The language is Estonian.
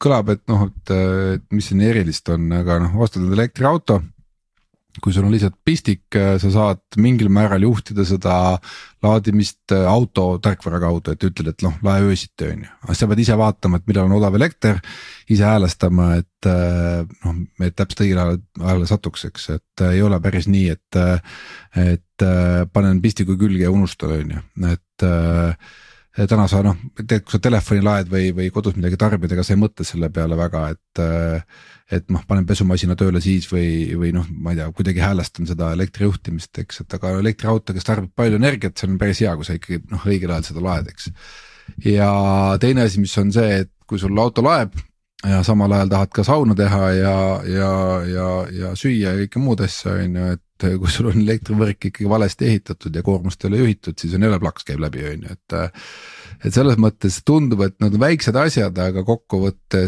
kõlab, et noh, et mis siin erilist on, aga noh, ostad elektriauto. Kui sul on lihtsalt pistik, sa saad mingil määral juhtida seda laadimist auto tarkvara kaudu, et ütled, et noh, lae öösiti on ju. Aga sa pead ise vaatama, et millal on odav elekter, ise häälestama, et noh, et täpselt õigel ajal satuks, eks, et ei ole päris nii, et panen pistiku külge ja unustan on ju, et täna sa noh, kui sa telefoni laed või kodus midagi tarbid, ega sa ei mõtle selle peale väga, et noh, panen pesumasina tööle siis või noh, ma ei tea, kuidagi häälestan seda elektrijuhtimist, eks, et aga elektriauto, kes tarbib palju energiat, see on päris hea, kui sa ikkagi noh, õigel ajal seda laed, eks. Ja teine asi, mis on see, et kui sul auto laeb ja samal ajal tahad ka sauna teha ja süüa ja kõike muud asja, on ju, et kui sul on elektrivõrk ikkagi valesti ehitatud ja koormust ei ole juhitud, siis on jälle plaks käib läbi, on ju, et selles mõttes tundub, et nad on väiksed asjad, aga kokkuvõttes